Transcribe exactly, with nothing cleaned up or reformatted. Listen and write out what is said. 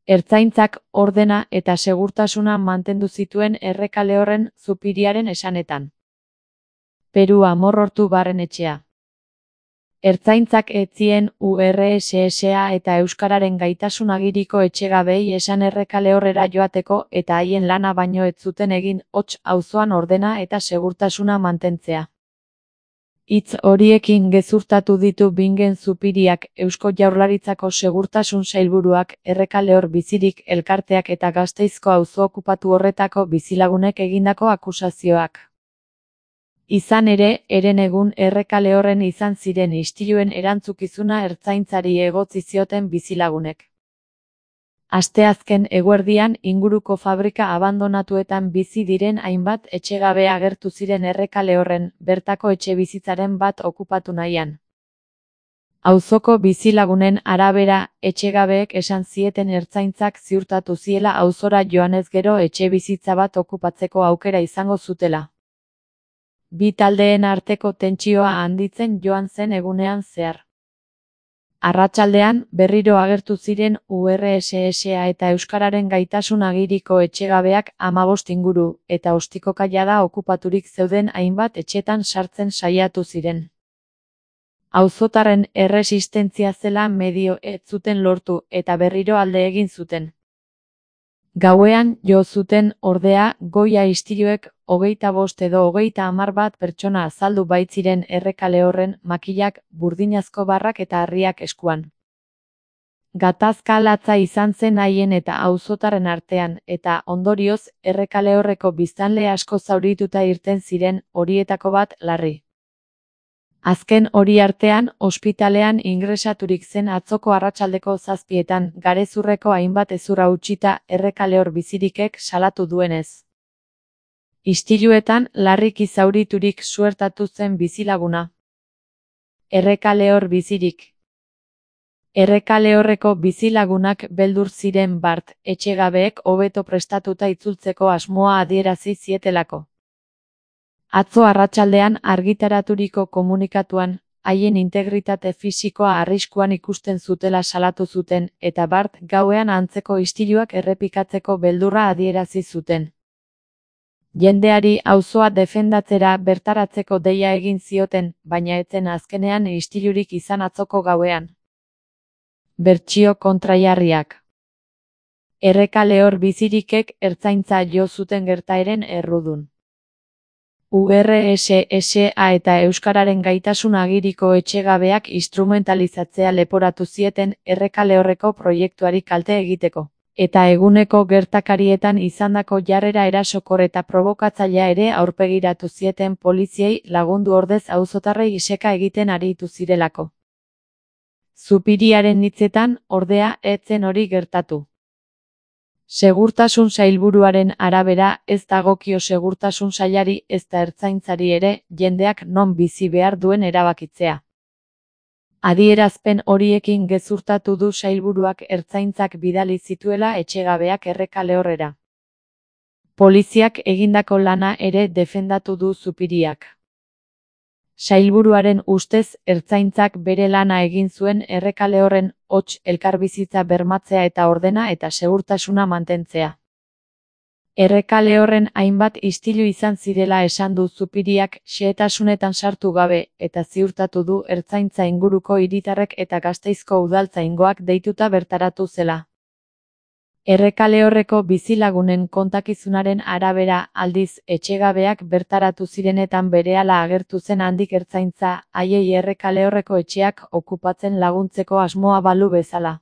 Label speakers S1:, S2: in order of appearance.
S1: Ertzaintzak ordena eta segurtasuna mantendu zituen Errekalehorren Zupiriaren esanetan. Peru Amorortu Barrenetxea. Ertzaintzak ez zien U R S S A eta Euskararen Gaitasun Agiriko etxegabei esan Errekalehorrera joateko eta haien lana baino ez zuten egin hots auzoan ordena eta segurtasuna mantentzea. Hitz horiekin gezurtatu ditu Bingen Zupiriak, Eusko Jaurlaritzako Segurtasun Sailburuak, Errekalehor Bizirik elkarteak eta Gasteizko auzo okupatu horretako bizilagunek egindako akusazioak. Izan ere, herenegun Errekalehorren izan ziren istiluen erantzukizuna ertzaintzari egotzi zioten bizilagunek. Asteazken eguerdian inguruko fabrika abandonatuetan bizi diren hainbat etxegabe agertu ziren Errekalehorren, bertako etxebizitzaren bat okupatu nahian. Auzoko bizilagunen arabera, etxegabeek esan zieten ertzaintzak ziurtatu ziela auzora joanez gero etxebizitza bat okupatzeko aukera izango zutela. Bi taldeen arteko tentsioa handitzen joan zen egunean zehar. Arratsaldean, berriro agertu ziren U R S S A eta Euskararen Gaitasun Agiriko etxegabeak hamabost inguru, eta ostikoka jada okupaturik zeuden hainbat etxetan sartzen saiatu ziren. Auzotarren erresistentzia zela medio ez zuten lortu eta berriro alde egin zuten. Gauean jo zuten ordea goia istiluek hogeita bost edo hogeita hamar bat pertsona azaldu baitziren Errekalehorren makilak, burdinazko barrak eta harriak eskuan. Gatazka latza izan zen haien eta auzotarren artean, eta ondorioz Errekalehorreko biztanle asko zaurituta irten ziren, horietako bat larri. Azken hori artean, ospitalean ingresaturik zen atzoko arratsaldeko zazpietan, garezurreko hainbat hezurra utzita Errekalehor Bizirikek salatu duenez. Istiluetan larriki zauriturik suertatu zen bizilaguna. Errekalehor Bizirik. Errekalehorreko bizilagunak beldur ziren bart, etxegabeek hobeto prestatuta itzultzeko asmoa adierazi zietelako. Atzo arratsaldean argitaraturiko komunikatuan, haien integritate fisikoa arriskuan ikusten zutela salatu zuten, eta bart gauean antzeko istiluak errepikatzeko beldurra adierazi zuten. Jendeari auzoa defendatzera bertaratzeko deia egin zioten, baina ez zen azkenean istilurik izan atzoko gauean. Bertsio kontrajarriak. Errekalehor Bizirikek ertzaintza jo zuten gertaeren errudun. U R S S A eta Euskararen Gaitasun Agiriko etxegabeak instrumentalizatzea leporatu zieten Errekalehorreko proiektuari kalte egiteko. Eta eguneko gertakarietan izandako jarrera erasokor eta provokatzailea ere aurpegiratu zieten poliziei lagundu ordez auzotarrei iseka egiten aritu zirelako. Zupiriaren hitzetan, ordea, ez zen hori gertatu. Segurtasun Sailburuaren arabera, ez dagokio Segurtasun Sailari ezta ertzaintzari ere, jendeak non bizi behar duen erabakitzea. Adierazpen horiekin gezurtatu du sailburuak ertzaintzak bidali zituela etxegabeak Errekalehorrera. Poliziak egindako lana ere defendatu du Zupiriak. Sailburuaren ustez, ertzaintzak bere lana egin zuen Errekalehorren hots elkarbizitza bermatzea eta ordena eta segurtasuna mantentzea. Errekalehorren hainbat istilu izan zirela esan du Zupiriak xehetasunetan sartu gabe, eta ziurtatu du ertzaintza inguruko hiritarrek eta Gasteizko udaltzaingoak deituta bertaratu zela. Errekalehorreko bizilagunen kontakizunaren arabera aldiz etxegabeak bertaratu zirenetan berehala agertu zen handik ertzaintza, haiei Errekalehorreko etxeak okupatzen laguntzeko asmoa balu bezala.